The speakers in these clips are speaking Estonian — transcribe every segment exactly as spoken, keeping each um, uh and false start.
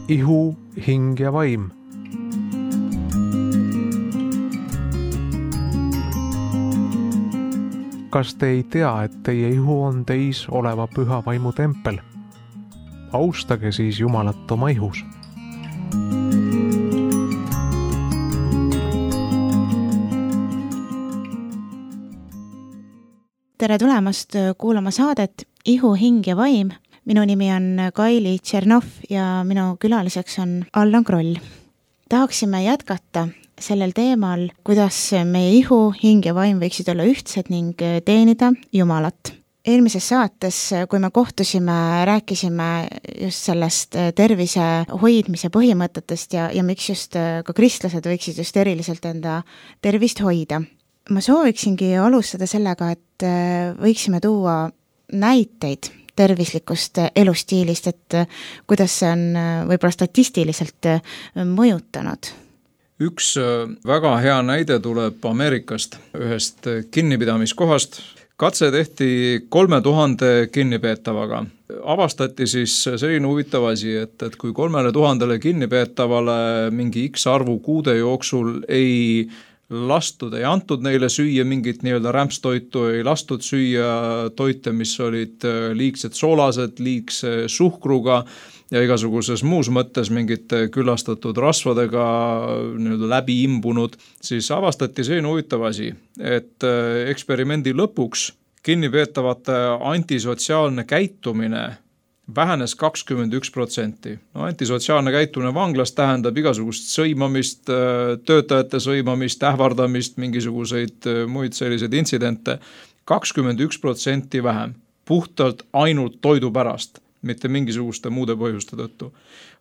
ihu, hing ja vaim. Kas te ei tea, et teie ihu on teis oleva püha vaimu tempel? Austage siis Jumalat oma ihus. Tere tulemast kuulama saadet Ihu, hing ja vaim. Minu nimi on Kaili Tšernov ja minu külaliseks on Allan Kroll. Tahaksime jätkata sellel teemal, kuidas meie ihu, hing ja vaim võiksid olla ühtsed ning teenida Jumalat. Eelmises saates, kui me kohtusime, rääkisime just sellest tervise hoidmise põhimõtetest ja, ja miks just ka kristlased võiksid just eriliselt enda tervist hoida. Ma sooviksingi alustada sellega, et võiksime tuua näiteid tervislikust elustiilist, et kuidas see on võib-olla statistiliselt mõjutanud. Üks väga hea näide tuleb Ameerikast, ühest kinnipidamiskohast. Katse tehti kolme tuhande kinnipeetavaga. Avastati siis selline huvitav asi, et, et kui kolmele tuhandele kinnipeetavale mingi X arvu kuude jooksul ei lastud, ei antud neile süüa mingit nii-öelda rämpstoitu, ei lastud süüa toite, mis olid liigsed soolased, liigse suhkruga ja igasuguses muus mõttes mingite küllastatud rasvadega nii-öelda läbi imbunud, siis avastati selline huvitav asi, et eksperimendi lõpuks kinnipeetavate antisotsiaalne käitumine vähenes kakskümmend üks protsenti. No, antisotsiaalne käitumine vanglas tähendab igasugust sõimamist, töötajate sõimamist, ähvardamist, mingisuguseid muid selliseid intsidente. kakskümmend üks protsenti vähem, puhtalt ainult toidu pärast, mitte mingisuguste muude põhjuste tõttu.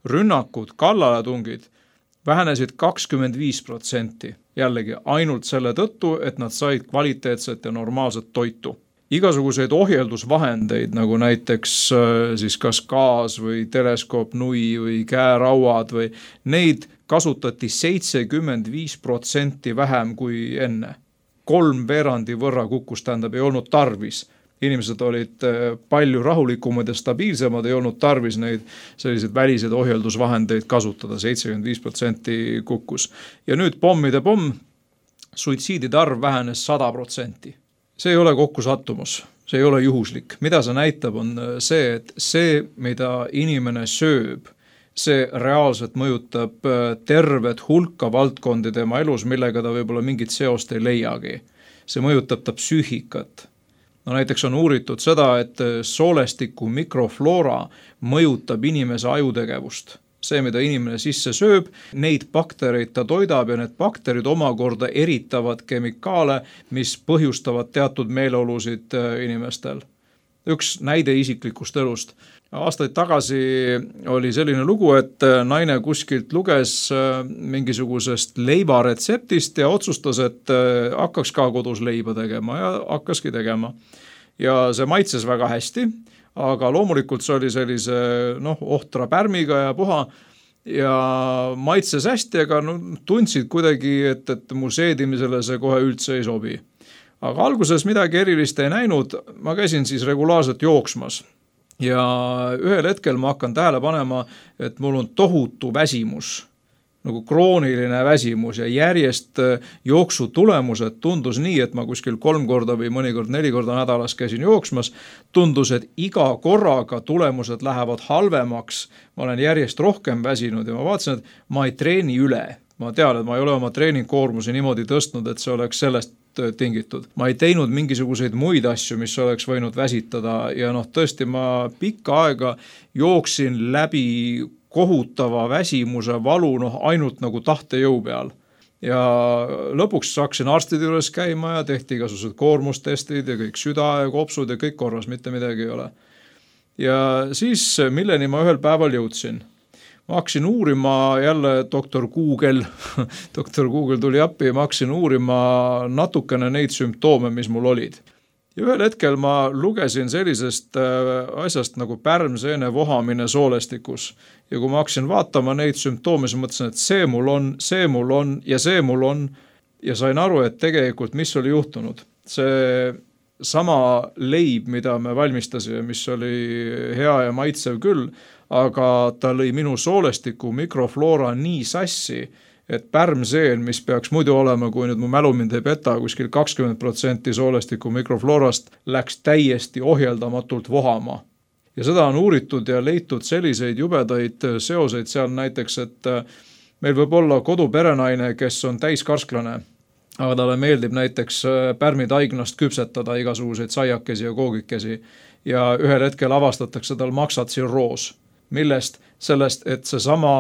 Rünnakud, kallaletungid vähenesid kakskümmend viis protsenti, jällegi ainult selle tõttu, et nad said kvaliteetset ja normaalset toitu. Igasuguseid ohjeldusvahendeid, nagu näiteks siis kas gaas või teleskoopnui või käerauad või neid kasutati seitsekümmend viis protsenti vähem kui enne. Kolm veerandi võrra kukkus, tähendab, ei olnud tarvis. Inimesed olid palju rahulikumad ja stabiilsemad, ei olnud tarvis neid selliseid väliseid ohjeldusvahendeid kasutada, seitsekümmend viis protsenti kukkus. Ja nüüd pommide pomm, suitsiidide arv vähenes sada protsenti. See ei ole kokku sattumus, see ei ole juhuslik. Mida see näitab on see, et see, mida inimene sööb, see reaalselt mõjutab tervet hulka valdkondi tema elus, millega ta võib-olla mingit seost ei leiagi. See mõjutab ta psüühikat. No näiteks on uuritud seda, et soolestiku mikrofloora mõjutab inimese ajutegevust. See, mida inimene sisse sööb, neid baktereid ta toidab ja need bakterid omakorda eritavad kemikaale, mis põhjustavad teatud meeleolusid inimestel. Üks näide isiklikust elust. Aastaid tagasi oli selline lugu, et naine kuskilt luges mingisugusest leibaretseptist ja otsustas, et hakkaks ka kodus leiba tegema ja hakkaski tegema. Ja see maitses väga hästi. Aga loomulikult see oli sellise noh, ohtra pärmiga ja puha ja maitses hästi, aga no, tundsid kuidagi, et, et mu seedimisele see kohe üldse ei sobi. Aga alguses midagi erilist ei näinud, ma käisin siis regulaarselt jooksmas ja ühel hetkel ma hakkan tähele panema, et mul on tohutu väsimus, nagu krooniline väsimus ja järjest jooksu tulemused tundus nii, et ma kuskil kolm korda või mõnikord neli korda nädalas käisin jooksmas, tundus, et iga korraga tulemused lähevad halvemaks, ma olen järjest rohkem väsinud ja ma vaatasin, et ma ei treeni üle. Ma tean, et ma ei ole oma treeningkoormusi niimoodi tõstnud, et see oleks sellest tingitud. Ma ei teinud mingisuguseid muid asju, mis oleks võinud väsitada ja noh, tõesti ma pikka aega jooksin läbi kohutava väsimuse valu noh, ainult nagu tahtejõu peal. Ja lõpuks hakkasin arstide juures käima ja tehti igasugused koormustestid ja kõik süda ja kopsud ja kõik korras, mitte midagi ei ole. Ja siis milleni ma ühel päeval jõudsin. Ma hakkasin uurima jälle doktor Google, doktor Google tuli appi ja ma hakkasin uurima natukene neid sümptoome, mis mul olid. Ja ühel hetkel ma lugesin sellisest asjast nagu pärmseene vohamine soolestikus. Ja kui ma hakkasin vaatama neid sümptoome, siis mõtlesin, et see mul on, see mul on ja see mul on. Ja sain aru, et tegelikult mis oli juhtunud. See sama leib, mida me valmistasime, mis oli hea ja maitsev küll, aga ta lõi minu soolestiku mikrofloora nii sassi, et pärmseen, mis peaks muidu olema, kui nüüd mu mälu mind ei peta, kuskil kakskümmend protsenti soolestiku mikrofloorast läks täiesti ohjeldamatult vohama. Ja seda on uuritud ja leitud selliseid jubedaid seoseid seal näiteks, et meil võib olla koduperenaine, kes on täiskarsklane, aga talle meeldib näiteks pärmitaignast küpsetada igasuguseid saiakesi ja koogikesi ja ühel hetkel avastatakse tal maksatsirroos. Millest? Sellest, et see sama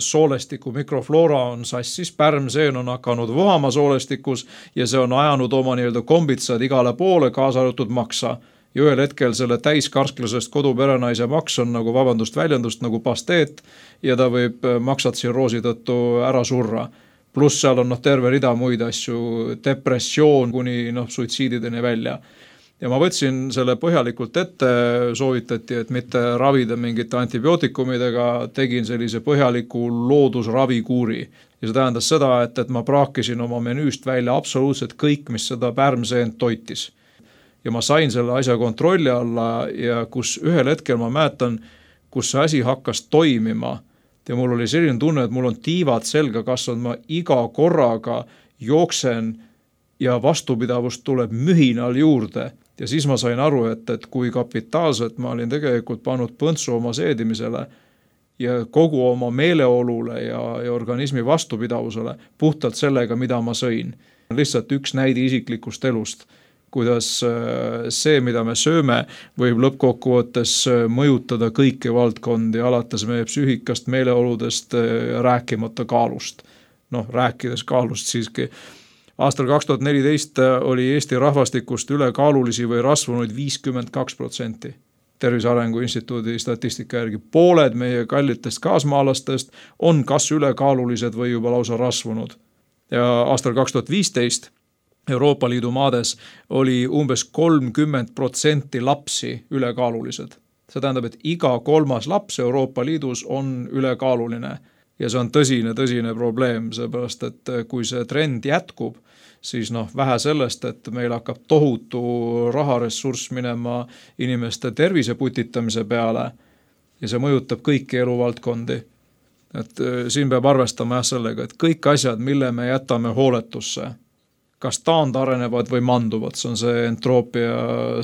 soolestiku mikrofloora on sassis, pärmseen on hakanud vohama soolestikus ja see on ajanud oma nii-öelda kombitsad igale poole, kaasa arvatud maksa. Ja ühel hetkel selle täiskarsklasest koduperenaise maks on nagu vabandust väljendust nagu pasteet ja ta võib maksatsirroosi tõttu ära surra. Pluss seal on noh, terve rida muid asju, depressioon kuni noh, suitsiidideni välja. Ja ma võtsin selle põhjalikult ette, soovitati, et mitte ravida mingite antibiootikumidega, tegin sellise põhjaliku loodusravikuuri. Ja see tähendas seda, et, et ma praakisin oma menüüst välja absoluutselt kõik, mis seda pärmseent toitis. Ja ma sain selle asja kontrolli alla ja kus ühel hetkel ma mäletan, kus see asi hakkas toimima. Ja mul oli selline tunne, et mul on tiivad selga kasvanud, ma iga korraga jooksen ja vastupidavust tuleb mühinal juurde. Ja siis ma sain aru, et, et kui kapitaalselt ma olin tegelikult pannud põntsu oma seedimisele ja kogu oma meeleolule ja, ja organismi vastupidavusele puhtalt sellega, mida ma sõin. Lihtsalt üks näide isiklikust elust, kuidas see, mida me sööme, võib lõppkokkuvõttes mõjutada kõiki valdkondi, alates meie psüühikast, meeleoludest, rääkimata kaalust. Noh, rääkides kaalust siiski. Aastal kaks tuhat neliteist oli Eesti rahvastikust ülekaalulisi või rasvunud viiskümmend kaks protsenti. Tervise Arengu Instituudi statistika järgi pooled meie kallitest kaasmaalastest on kas ülekaalulised või juba lausa rasvunud. Ja aastal kaks tuhat viisteist Euroopa Liidu maades oli umbes kolmkümmend protsenti lapsi ülekaalulised. See tähendab, et iga kolmas laps Euroopa Liidus on ülekaaluline. Ja see on tõsine, tõsine probleem, seepärast, et kui see trend jätkub, siis noh, vähe sellest, et meil hakkab tohutu raharessurss minema inimeste tervise putitamise peale ja see mõjutab kõiki eluvaldkondi. Et siin peab arvestama jah sellega, et kõik asjad, mille me jätame hooletusse, kas taandarenevad või manduvad, see on see entroopia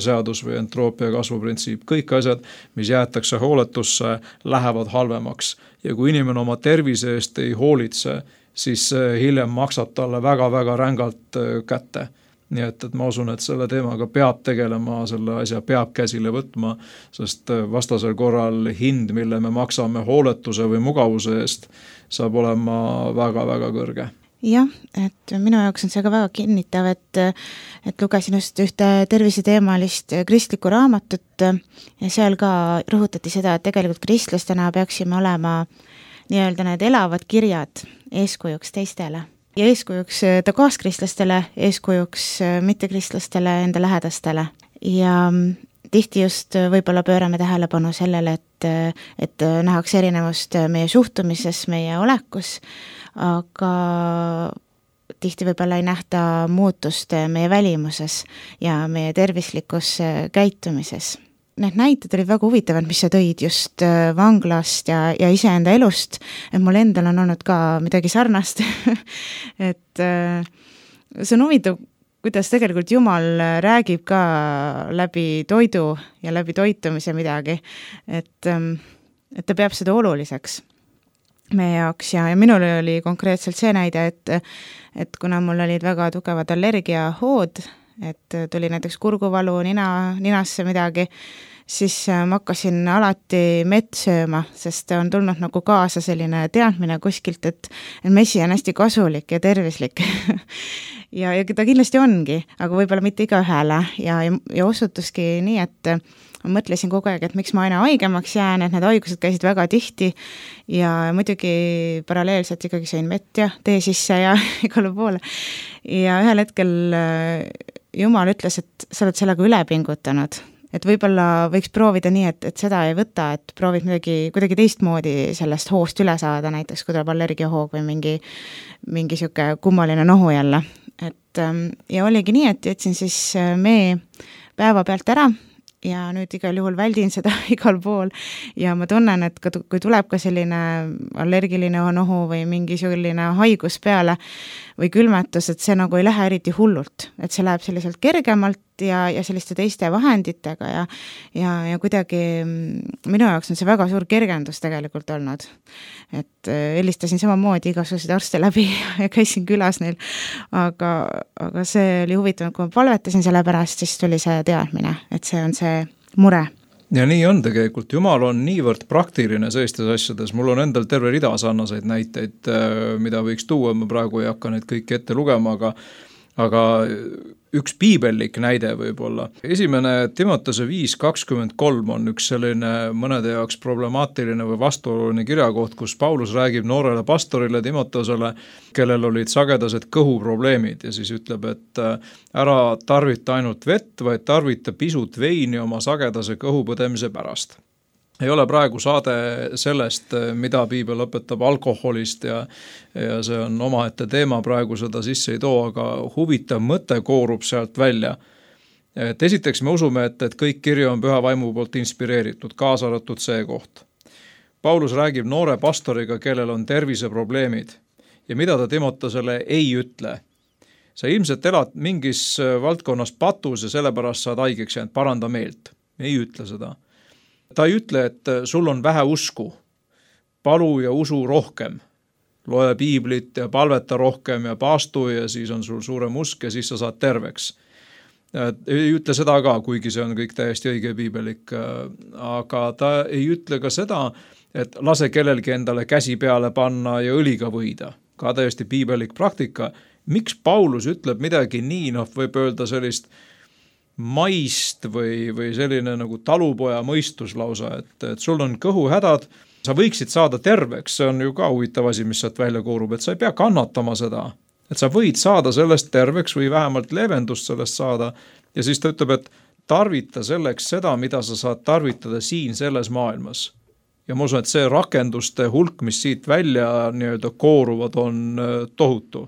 seadus või entroopia kasvuprintsiip. Kõik asjad, mis jäetakse hooletusse, lähevad halvemaks. Ja kui inimene oma tervise eest ei hoolitse, siis hiljem maksab talle väga-väga rängalt kätte. Nii et, et ma usun, et selle teemaga peab tegelema, selle asja peab käsile võtma, sest vastasel korral hind, mille me maksame hooletuse või mugavuse eest, saab olema väga-väga kõrge. Jah, et minu jaoks on see ka väga kinnitav, et, et lugesin just ühte terviseteemalist kristlikku raamatut ja seal ka rõhutati seda, et tegelikult kristlastena peaksime olema nii-öelda need elavad kirjad eeskujuks teistele. Ja eeskujuks ta kaaskristlastele, eeskujuks mittekristlastele, enda lähedastele. Ja tihti just võib-olla pöörame tähelepanu sellele, et, et nähakse erinevust meie suhtumises, meie olekus, aga tihti võib-olla ei nähta muutust meie välimuses ja meie tervislikus käitumises. Need näited olid väga huvitavad, mis sa tõid just vanglast ja, ja iseenda elust, et mul endal on olnud ka midagi sarnast. et see on huvitav, kuidas tegelikult Jumal räägib ka läbi toidu ja läbi toitumise midagi, et, et ta peab seda oluliseks meie jaoks ja, ja minul oli konkreetselt see näide, et, et kuna mul olid väga tugevad allergiahood, et tuli näiteks kurguvalu, nina, ninasse midagi, siis ma hakkasin alati mett sööma, sest on tulnud nagu kaasa selline teadmine kuskilt, et mesi on hästi kasulik ja tervislik. ja, ja ta kindlasti ongi, aga võib-olla mitte iga ühele ja, ja, ja osutuski nii, et ma mõtlesin kogu aeg, et miks ma aina haigemaks jään, et need haigused käisid väga tihti ja muidugi paralleelselt ikkagi sõin mett ja tee sisse ja igale poole. Ja ühel hetkel Jumal ütles, et sa oled sellega üle pingutanud, et võib-olla võiks proovida nii, et, et seda ei võta, et proovid midagi, kuidagi teistmoodi sellest hoost üle saada, näiteks kui tuleb allergiahoog või mingi, mingi siuke kummaline nohu jälle. Et ja oligi nii, et jätsin siis mee päeva pealt ära ja nüüd igal juhul väldin seda igal pool ja ma tunnen, et kui tuleb ka selline allergiline nohu või mingi selline haigus peale või külmetus, et see nagu ei lähe eriti hullult, et see läheb selliselt kergemalt ja, ja selliste teiste vahenditega ja, ja, ja kuidagi minu jaoks on see väga suur kergendus tegelikult olnud. Et helistasin samamoodi igasuguseid arste läbi ja käisin külas neil, aga, aga see oli huvitav, kui ma palvetasin selle pärast, siis tuli see teadmine, et see on see mure. Ja nii on tegelikult, Jumal on niivõrd praktiline sellistes asjades, mul on endal terve rida sarnaseid näiteid, mida võiks tuua, ma praegu ei hakka neid kõik ette lugema, aga, aga üks piibellik näide võib-olla. Esimene Timotese viis kakskümmend kolm on üks selline mõnede jaoks problemaatiline või vastuoluline kirjakoht, kus Paulus räägib noorele pastorile Timotesele, kellel olid sagedased kõhuprobleemid ja siis ütleb, et ära tarvita ainult vett, vaid tarvita pisut veini oma sagedase kõhupõdemise pärast. Ei ole praegu saade sellest, mida piibel õpetab alkoholist ja, ja see on omaette teema, praegu seda sisse ei too, aga huvitav mõte koorub sealt välja. Et esiteks me usume, et, et kõik kirja on püha vaimu poolt inspireeritud, kaasa arvatud see koht. Paulus räägib noore pastoriga, kellel on terviseprobleemid ja mida ta Timotesele ei ütle. Sa ilmselt elad mingis valdkonnas patus ja sellepärast saad haigeks jäänud, paranda meelt. Ei ütle seda. Ta ei ütle, et sul on vähe usku, palu ja usu rohkem, loe piiblit ja palveta rohkem ja paastu ja siis on sul suurem usk ja siis sa saad terveks. Ei ütle seda ka, kuigi see on kõik täiesti õige piibelik, aga ta ei ütle ka seda, et lase kellelgi endale käsi peale panna ja õliga võida, ka täiesti piibelik praktika. Miks Paulus ütleb midagi nii, noh võib öelda sellist maist või, või selline nagu talupoja mõistus lausa, et, et sul on kõhuhädad, sa võiksid saada terveks, see on ju ka huvitav asi, mis sealt välja koorub, et sa ei pea kannatama seda, et sa võid saada sellest terveks või vähemalt leevendust sellest saada ja siis ta ütleb, et tarvita selleks seda, mida sa saad tarvitada siin selles maailmas. Ja ma usun, et see rakenduste hulk, mis siit välja nii-öelda kooruvad, on tohutu.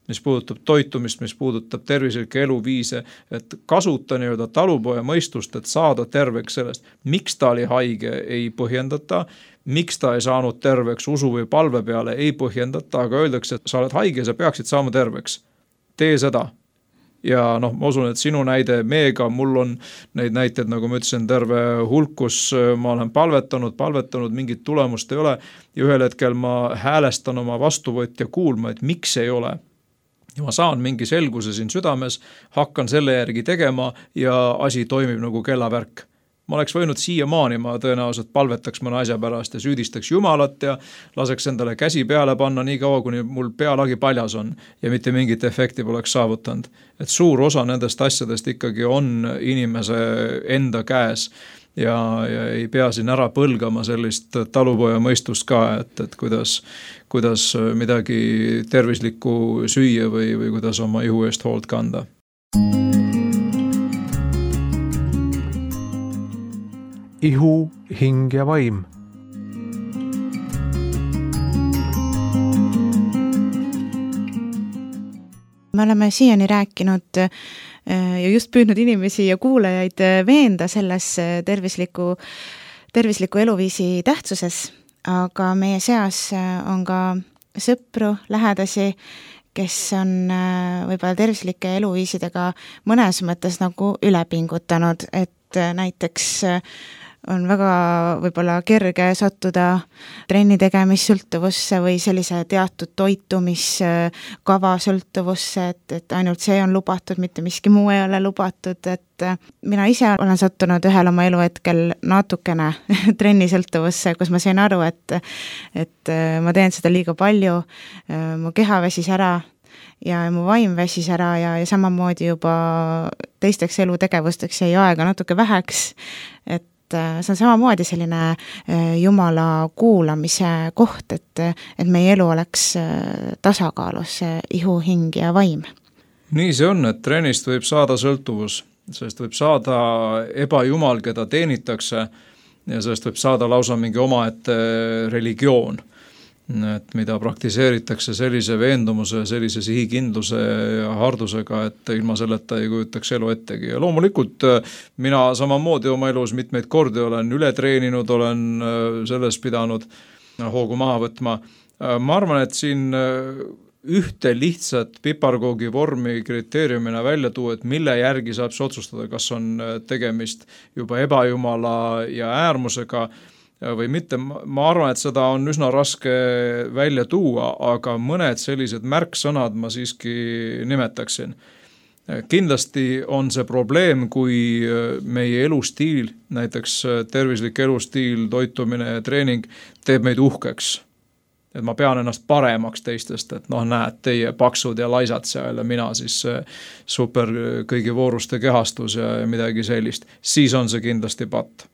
Mis puudutab toitumist, mis puudutab tervislikke eluviise, et kasuta nii-öelda talupoja mõistust, et saada terveks sellest. Miks ta oli haige, ei põhjendata, miks ta ei saanud terveks usu või palve peale, ei põhjendata, aga öeldakse, et sa oled haige, sa peaksid saama terveks. Tee seda. Ja noh, ma usun, et sinu näide meega, mul on neid näiteid, nagu ma ütlesin, terve hulkus, ma olen palvetanud, palvetanud, mingit tulemust ei ole ja ühel hetkel ma häälestan oma vastuvõtja kuulma, et miks ei ole. Ja ma saan mingi selguse siin südames, hakkan selle järgi tegema ja asi toimib nagu kellavärk. Ma oleks võinud siia maani, ma tõenäoliselt palvetaks mõne asja pärast ja süüdistaks Jumalat ja laseks endale käsi peale panna nii kaua, kuni mul pealagi paljas on ja mitte mingit efekti poleks saavutanud. Et suur osa nendest asjadest ikkagi on inimese enda käes ja, ja ei pea siin ära põlgama sellist talupoja mõistust ka, et, et kuidas, kuidas midagi tervislikku süüa või, või kuidas oma ihu eest hoolt kanda. Ihu, hing ja vaim. Me oleme siiani rääkinud ja just püüdnud inimesi ja kuulajaid veenda selles tervisliku, tervisliku eluviisi tähtsuses, aga meie seas on ka sõpru, lähedasi, kes on võib-olla tervislike eluviisidega mõnes mõttes nagu ülepingutanud, et näiteks on väga võib-olla kerge sattuda trenni tegemissõltuvusse või sellise teatud toitumiskava sõltuvusse, et, et ainult see on lubatud, mitte miski muu ei ole lubatud, et mina ise olen sattunud ühel oma eluhetkel natukene trenni sõltuvusse, kus ma sain aru, et, et ma teen seda liiga palju, mu keha väsis ära ja mu vaim väsis ära ja, ja samamoodi juba teisteks elutegevusteks jäi aega natuke väheks, et see on samamoodi selline Jumala kuulamise koht, et, et meie elu oleks tasakaalus, ihu, hing ja vaim. Nii see on, et trennist võib saada sõltuvus, sest võib saada ebajumal, keda teenitakse ja sellest võib saada lausa mingi omaette religioon. et mida praktiseeritakse sellise veendumuse, sellise sihikindluse ja hardusega, et ilma selleta ei kujutaks elu ettegi. Ja loomulikult mina samamoodi oma elus mitmeid kordi olen üle treeninud, olen selles pidanud hoogu maha võtma. Ma arvan, et siin ühte lihtsat piparkoogi vormi kriteeriumina välja tuua, et mille järgi saab see otsustada, kas on tegemist juba ebajumala ja äärmusega või mitte. Ma arvan, et seda on üsna raske välja tuua, aga mõned sellised märksõnad ma siiski nimetaksin. Kindlasti on see probleem, kui meie elustiil, näiteks tervislik elustiil, toitumine ja treening teeb meid uhkeks. Et ma pean ennast paremaks teistest, et noh, näed, teie paksud ja laisad seal ja mina siis super kõigi vooruste kehastus ja midagi sellist. Siis on see kindlasti patt.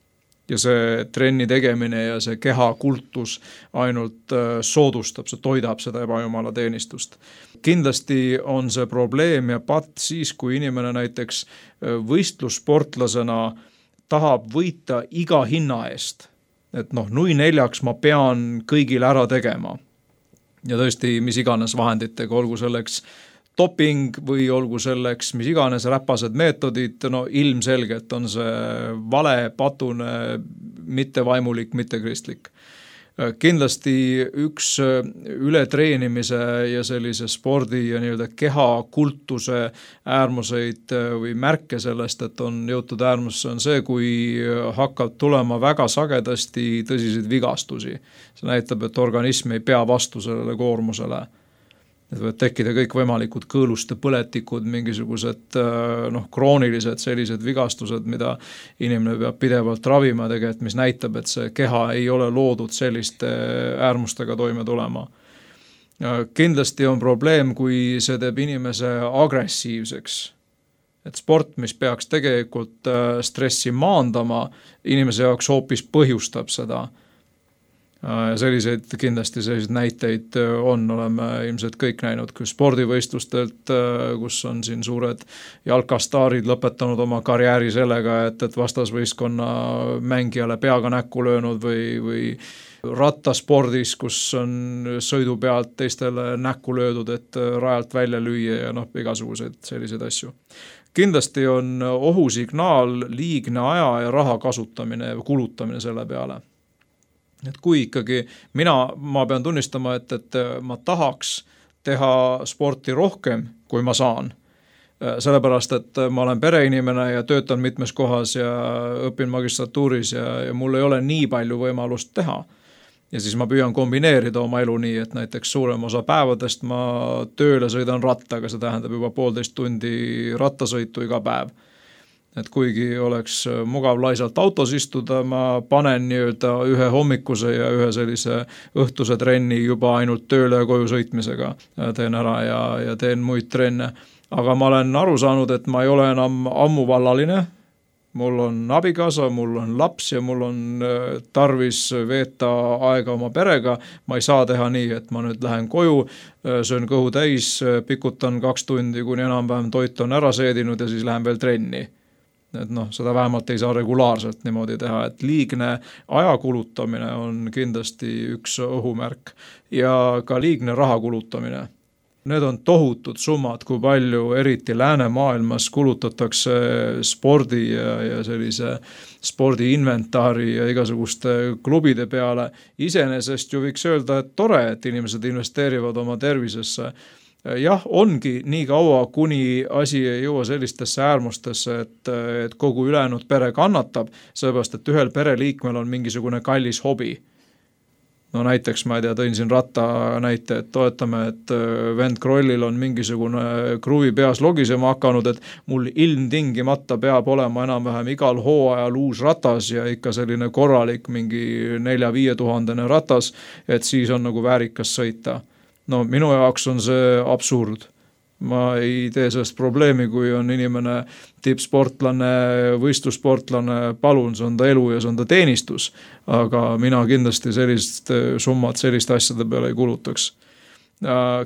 Ja see trenni tegemine ja see kehakultus ainult soodustab, see toidab seda ebajumala teenistust. Kindlasti on see probleem ja patt siis, kui inimene näiteks võistlussportlasena tahab võita iga hinna eest. Et noh, nui neljaks ma pean kõigil ära tegema. Ja tõesti, mis iganes vahenditega, olgu selleks doping või olgu selleks mis iganes räpased meetodid, no ilmselgelt on see vale, patune, mittevaimulik, mittekristlik. Kindlasti üks ületreenimise ja sellise spordi ja nii-öelda kehakultuse äärmuseid või märke sellest, et on jõutud äärmusse, on see, kui hakkab tulema väga sagedasti tõsiseid vigastusi. See näitab, et organism ei pea vastu sellele koormusele. Et võivad tekkida kõik võimalikud kõõluste põletikud, mingisugused noh, kroonilised sellised vigastused, mida inimene peab pidevalt ravima tegelikult, mis näitab, et see keha ei ole loodud selliste äärmustega toime tulema. Kindlasti on probleem, kui see teeb inimese agressiivseks. Et sport, mis peaks tegelikult stressi maandama, inimese jaoks hoopis põhjustab seda. Selliseid kindlasti selliseid näiteid on, oleme ilmselt kõik näinud, kui spordivõistlustelt, kus on siin suured jalkastaarid lõpetanud oma karjääri sellega, et, et vastasvõistkonna mängijale peaga näkku löönud või, või rattaspordis, kus on sõidu pealt teistele näkku löödud, et rajalt välja lüüa ja noh, igasuguseid selliseid asju. Kindlasti on ohusignaal liigne aja ja raha kasutamine ja kulutamine selle peale. Et kui ikkagi mina, ma pean tunnistama, et, et ma tahaks teha sporti rohkem, kui ma saan. Sellepärast, et ma olen pereinimene ja töötan mitmes kohas ja õpin magistratuuris ja, ja mul ei ole nii palju võimalust teha. Ja siis ma püüan kombineerida oma elu nii, et näiteks suurem osa päevadest ma tööle sõidan rattaga, see tähendab juba poolteist tundi rattasõitu iga päev. Et kuigi oleks mugav laisalt autos istuda, ma panen nii-öelda ühe hommikuse ja ühe sellise õhtuse trenni juba ainult tööle ja koju sõitmisega teen ära ja, ja teen muid trenne. Aga ma olen aru saanud, et ma ei ole enam ammu vallaline. Mul on abikaasa, mul on laps ja mul on tarvis veeta aega oma perega. Ma ei saa teha nii, et ma nüüd lähen koju, söön kõhu täis, pikutan kaks tundi, kuni enam-vähem toit on ära seedinud ja siis lähen veel trenni. Et noh, seda vähemalt ei saa regulaarselt niimoodi teha, et liigne aja kulutamine on kindlasti üks ohumärk ja ka liigne raha kulutamine. Need on tohutud summad, kui palju eriti läänemaailmas kulutatakse spordi ja, ja sellise spordiinventaari ja igasuguste klubide peale. Iseenesest ju võiks öelda, et tore, et inimesed investeerivad oma tervisesse. Jah, ongi nii kaua, kuni asi ei jõua sellistesse äärmustesse, et, et kogu ülejäänud pere kannatab, sellepärast, et ühel pereliikmel on mingisugune kallis hobi. No näiteks, ma ei tea, tõin siin ratta näite, et toetame, et vend Krollil on mingisugune kruvi peas logisema hakanud, et mul ilmtingimata peab olema enam-vähem igal hooajal uus ratas ja ikka selline korralik mingi nelja-viie tuhandene ratas, et siis on nagu väärikas sõita. No minu jaoks on see absurd. Ma ei tee sellest probleemi, kui on inimene tippsportlane, võistlussportlane, palun, see on ta elu ja see on ta teenistus, aga mina kindlasti sellist summat selliste asjade peale ei kulutaks.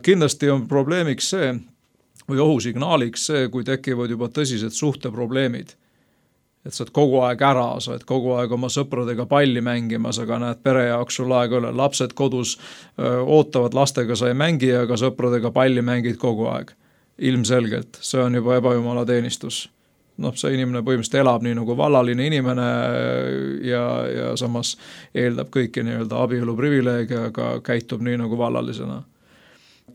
Kindlasti on probleemiks see, või ohusignaaliks see, kui tekivad juba tõsised suhteprobleemid. et sa oled kogu aeg ära, sa oled kogu aeg oma sõpradega palli mängimas, aga näed, pere jaoks sul aeg üle, lapsed kodus öö, ootavad, lastega sa ei mängi, aga sõpradega palli mängid kogu aeg. Ilmselgelt, see on juba ebajumala teenistus. Noh, see inimene põhimõtteliselt elab nii nagu vallaline inimene ja, ja samas eeldab kõiki nii-öelda abielu privileege, aga käitub nii nagu vallalisena.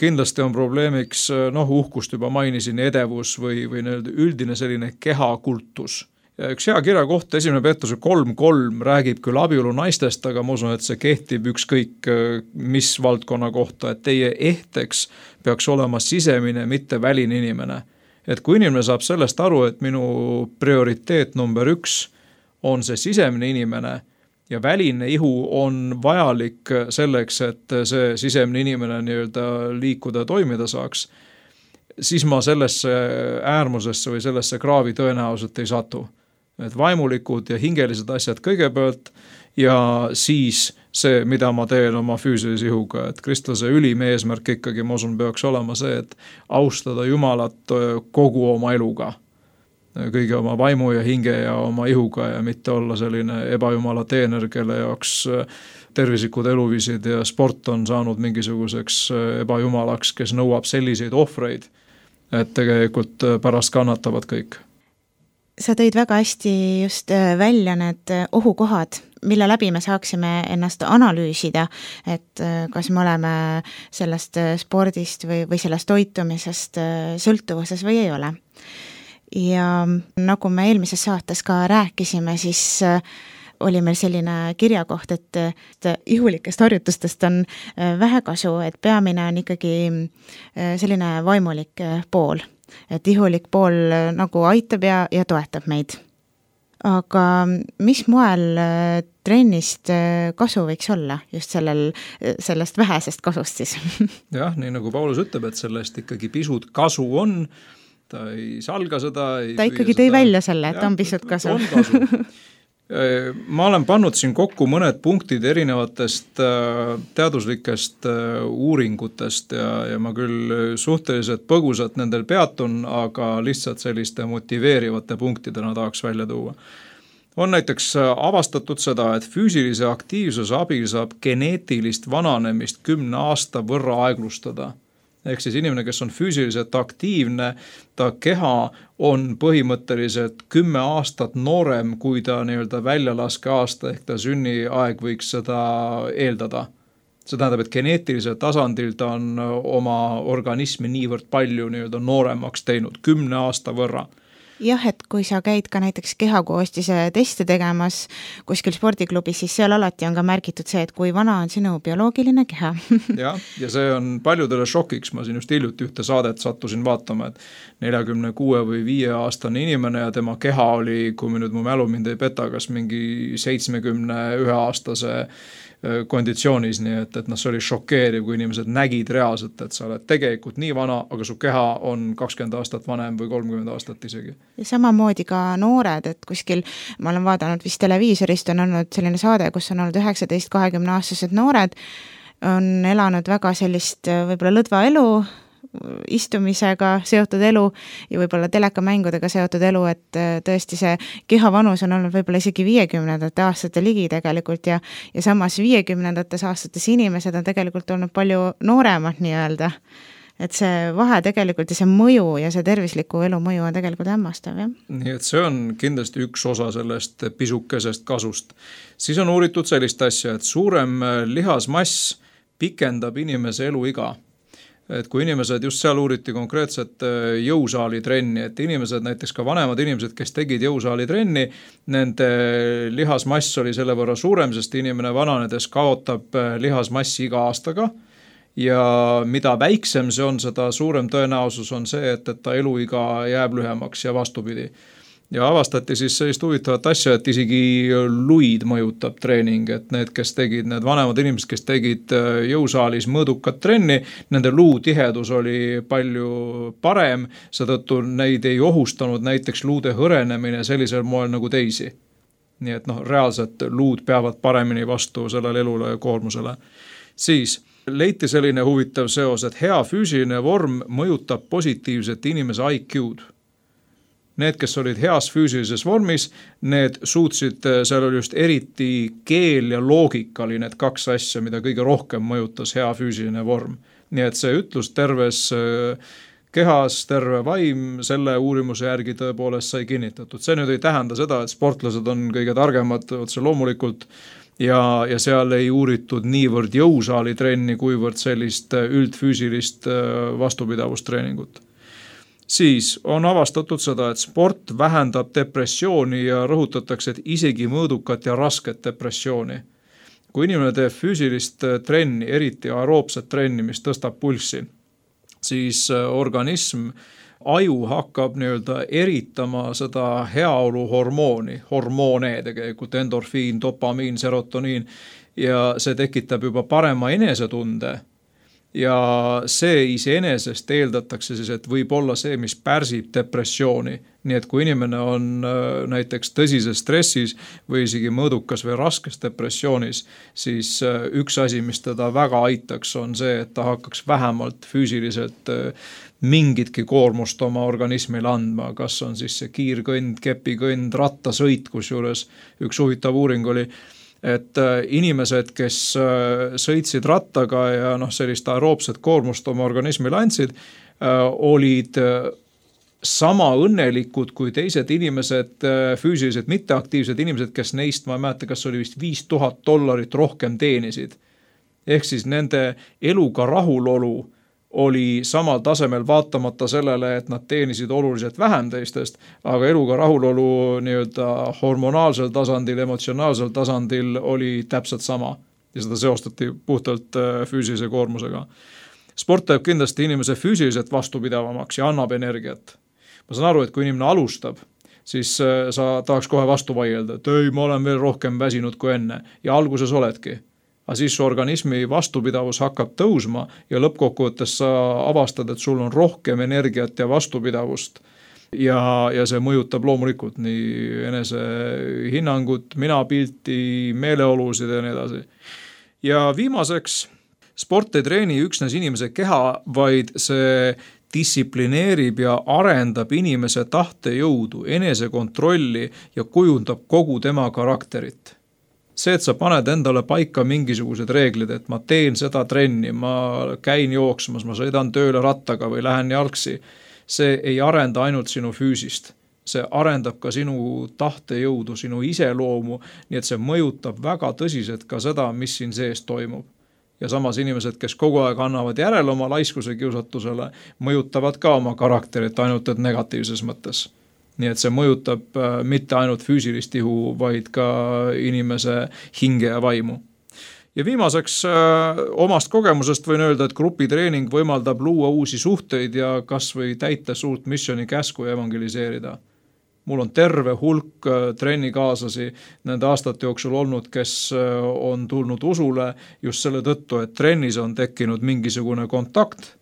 Kindlasti on probleemiks, noh, uhkust juba mainisin, edevus või, või nii-öelda üldine selline kehakultus. Ja üks hea kirja koht, esimene Peetruse kolm kolm räägib küll abielu naistest, aga ma usun, et see kehtib ükskõik mis valdkonna kohta, et teie ehteks peaks olema sisemine, mitte väline inimene. Et kui inimene saab sellest aru, et minu prioriteet number üks on see sisemine inimene ja väline ihu on vajalik selleks, et see sisemine inimene nii-öelda liikuda ja toimida saaks, siis ma sellesse äärmusesse või sellesse kraavi tõenäoliselt ei satu. Et vaimulikud ja hingelised asjad kõigepealt ja siis see, mida ma teen oma füüsilise ihuga, et kristlase ülim eesmärk ikkagi, ma usun, peaks olema see, et austada Jumalat kogu oma eluga, kõige oma vaimu ja hinge ja oma ihuga ja mitte olla selline ebajumala teener, kelle jaoks tervislikud eluviisid ja sport on saanud mingisuguseks ebajumalaks, kes nõuab selliseid ohvreid, et tegelikult pärast kannatavad kõik. Sa tõid väga hästi just välja need ohukohad, mille läbi me saaksime ennast analüüsida, et kas me oleme sellest spordist või, või sellest toitumisest sõltuvuses või ei ole. Ja nagu me eelmises saates ka rääkisime, siis oli meil selline kirjakoht, et ihulikest harjutustest on vähe kasu, et peamine on ikkagi selline vaimulik pool. Et ihulik pool nagu aitab ja, ja toetab meid. Aga mis moel trennist kasu võiks olla just sellel, sellest vähesest kasust siis? Jah, nii nagu Paulus ütleb, et sellest ikkagi pisut kasu on, ta ei salga seda. Ei ta ikkagi tõi seda välja selle, et ja, on pisut kasu. On kasu. Ma olen pannud siin kokku mõned punktid erinevatest teaduslikest uuringutest ja, ja ma küll suhteliselt põgusalt nendel peatun, aga lihtsalt selliste motiveerivate punktidena tahaks välja tuua. On näiteks avastatud seda, et füüsilise aktiivsuse abil saab geneetilist vananemist kümne aasta võrra aeglustada. Ehk siis inimene, kes on füüsiliselt aktiivne, ta keha on põhimõtteliselt kümme aastat noorem, kui ta nii-öelda väljalaske aasta ehk ta sünniaeg võiks seda eeldada. See tähendab, et geneetilisel tasandil ta on oma organismi niivõrd palju nii-öelda nooremaks teinud, kümne aasta võrra. Jah, et kui sa käid ka näiteks kehakoostise teste tegemas kuskil spordiklubis, siis seal alati on ka märgitud see, et kui vana on sinu bioloogiline keha. jah, ja see on paljudele šokiks, ma siin just hiljuti ühte saadet sattusin vaatama, et neljakümne kuue või viie aastane inimene ja tema keha oli, kui me nüüd mu mälu mind ei peta, kas mingi seitsmekümne ühe aastase konditsioonis, nii et, et noh, see oli šokeeriv, kui inimesed nägid reaalselt, et sa oled tegelikult nii vana, aga su keha on kakskümmend aastat vanem või kolmkümmend aastat isegi. Ja samamoodi ka noored, et kuskil, ma olen vaadanud vist televiisorist, on olnud selline saade, kus on olnud üheksateist kahekümne aastased noored, on elanud väga sellist võib-olla lõdva elu, istumisega seotud elu ja võib-olla telekamängudega seotud elu, et tõesti see kehavanus on olnud võib-olla isegi viiekümnendate aastate ligi tegelikult ja, ja samas viiekümnendates aastates inimesed on tegelikult olnud palju nooremad nii-öelda. Et see vahe tegelikult ja see mõju ja see tervisliku elu mõju on tegelikult hämmastav, jah? Nii et see on kindlasti üks osa sellest pisukesest kasust. Siis on uuritud sellist asja, et suurem lihasmass pikendab inimese eluiga. Et kui inimesed, just seal uuriti konkreetset jõusaali trenni, et inimesed, näiteks ka vanemad inimesed, kes tegid jõusaali trenni, nende lihasmass oli selle võrra suurem, sest inimene vananedes kaotab lihasmassi iga aastaga ja mida väiksem see on, seda suurem tõenäosus on see, et, et ta eluiga jääb lühemaks ja vastupidi. Ja avastati siis sellist huvitavat asja, et isegi luid mõjutab treening, et need, kes tegid, need vanemad inimesed, kes tegid jõusaalis mõõdukat trenni, nende luutihedus oli palju parem, seetõttu neid ei ohustanud näiteks luude hõrenemine sellisel moel nagu teisi. Nii et noh, reaalselt luud peavad paremini vastu sellele elule ja koormusele. Siis leiti selline huvitav seos, et hea füüsiline vorm mõjutab positiivset inimese I Q-d. Need, kes olid heas füüsilises vormis, need suutsid, seal oli just eriti keel ja loogika oli need kaks asja, mida kõige rohkem mõjutas hea füüsiline vorm. Nii et see ütlus terves kehas, terve vaim, selle uurimuse järgi tõepoolest sai kinnitatud. See nüüd ei tähenda seda, et sportlased on kõige targemad otse loomulikult ja, ja seal ei uuritud niivõrd jõusaali trenni, kuivõrd sellist üldfüüsilist vastupidavustreeningut. Siis on avastatud seda, et sport vähendab depressiooni ja rõhutatakse, et isegi mõõdukat ja rasket depressiooni. Kui inimene teeb füüsilist trenni, eriti aeroobset trenni, mis tõstab pulssi, siis organism, aju hakkab nii-öelda eritama seda heaolu hormooni, hormoone tegelikult, endorfiin, dopamiin, serotoniin ja see tekitab juba parema enesetunde. Ja see iseenesest eeldatakse siis, et võib olla see, mis pärsib depressiooni. Nii et kui inimene on näiteks tõsises stressis või isegi mõõdukas või raskes depressioonis, siis üks asi, mis teda väga aitaks, on see, et ta hakkaks vähemalt füüsiliselt mingitki koormust oma organismile andma. Kas on siis see kiirkõnd, kepikõnd, rattasõit, kus juures üks huvitav uuring oli, et inimesed, kes sõitsid rattaga ja noh, sellist aeroobset koormust oma organismile andsid, olid sama õnnelikud kui teised inimesed, füüsiliselt mitteaktiivsed inimesed, kes neist, ma ei mäleta, kas oli vist viis tuhat dollarit rohkem teenisid. Ehk siis nende eluga rahulolu oli samal tasemel vaatamata sellele, et nad teenisid oluliselt vähem teistest, aga eluga rahulolu nii-öelda hormonaalsel tasandil, emotsionaalsel tasandil oli täpselt sama ja seda seostati puhtalt füüsilise koormusega. Sport teeb kindlasti inimese füüsiliselt vastupidavamaks ja annab energiat. Ma saan aru, et kui inimene alustab, siis sa tahaks kohe vastu vaielda, et ei, ma olen veel rohkem väsinud kui enne ja alguses oledki. Aga siis su organismi vastupidavus hakkab tõusma ja lõppkokkuvõttes sa avastad, et sul on rohkem energiat ja vastupidavust. Ja, ja see mõjutab loomulikult nii enese hinnangut, minapilti, meeleolusid ja nii edasi. Ja viimaseks, sport ei treeni üksnes inimese keha, vaid see distsiplineerib ja arendab inimese tahtejõudu, enesekontrolli ja kujundab kogu tema karakterit. See, et sa paned endale paika mingisugused reeglid, et ma teen seda trenni, ma käin jooksmas, ma sõidan tööle rattaga või lähen jalgsi, see ei arenda ainult sinu füüsist. See arendab ka sinu tahtejõudu, sinu iseloomu, nii et see mõjutab väga tõsiselt ka seda, mis siin sees toimub. Ja samas inimesed, kes kogu aeg annavad järele oma laiskuse kiusatusele, mõjutavad ka oma karakterit ainult et negatiivses mõttes. Nii et see mõjutab mitte ainult füüsilist ihu, vaid ka inimese hinge ja vaimu. Ja viimaseks omast kogemusest võin öelda, et grupitreening võimaldab luua uusi suhteid ja kas või täita suurt missioni käsku ja evangeliseerida. Mul on terve hulk trennikaaslasi nende aastate jooksul olnud, kes on tulnud usule just selle tõttu, et trennis on tekkinud mingisugune kontakt,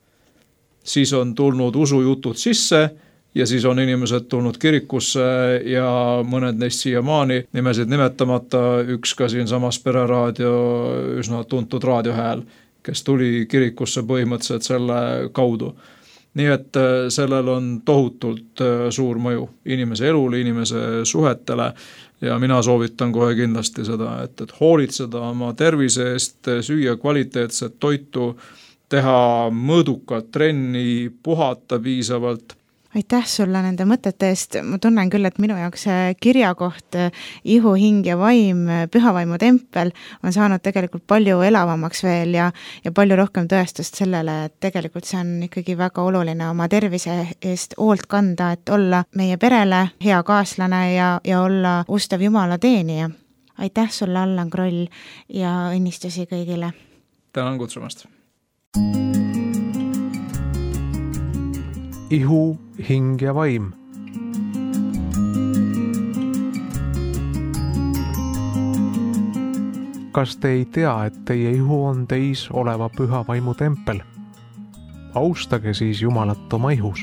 siis on tulnud usujutud sisse ja siis on inimesed tulnud kirikusse ja mõned neist siiamaani nimesid nimetamata, üks ka siin samas Pereraadio üsna tuntud raadiohääl, kes tuli kirikusse põhimõtteliselt selle kaudu. Nii et sellel on tohutult suur mõju inimese elule, inimese suhetele ja mina soovitan kohe kindlasti seda, et, et hoolitseda oma tervise eest, süüa kvaliteetset toitu, teha mõõdukat trenni, puhata piisavalt. Aitäh sulle nende mõtete eest. Ma tunnen küll, et minu jaoks kirjakoht Ihu, hing ja vaim, Pühavaimu tempel on saanud tegelikult palju elavamaks veel ja, ja palju rohkem tõestust sellele, et tegelikult see on ikkagi väga oluline oma tervise eest hoolt kanda, et olla meie perele hea kaaslane ja, ja olla ustav Jumala teenija. Aitäh sulle, Allan Kroll, ja õnnistusi kõigile. Tänan kutsumast. Ihu, hing ja vaim. Kas te ei tea, et teie ihu on teis oleva püha vaimu tempel? Austage siis Jumalat oma ihus.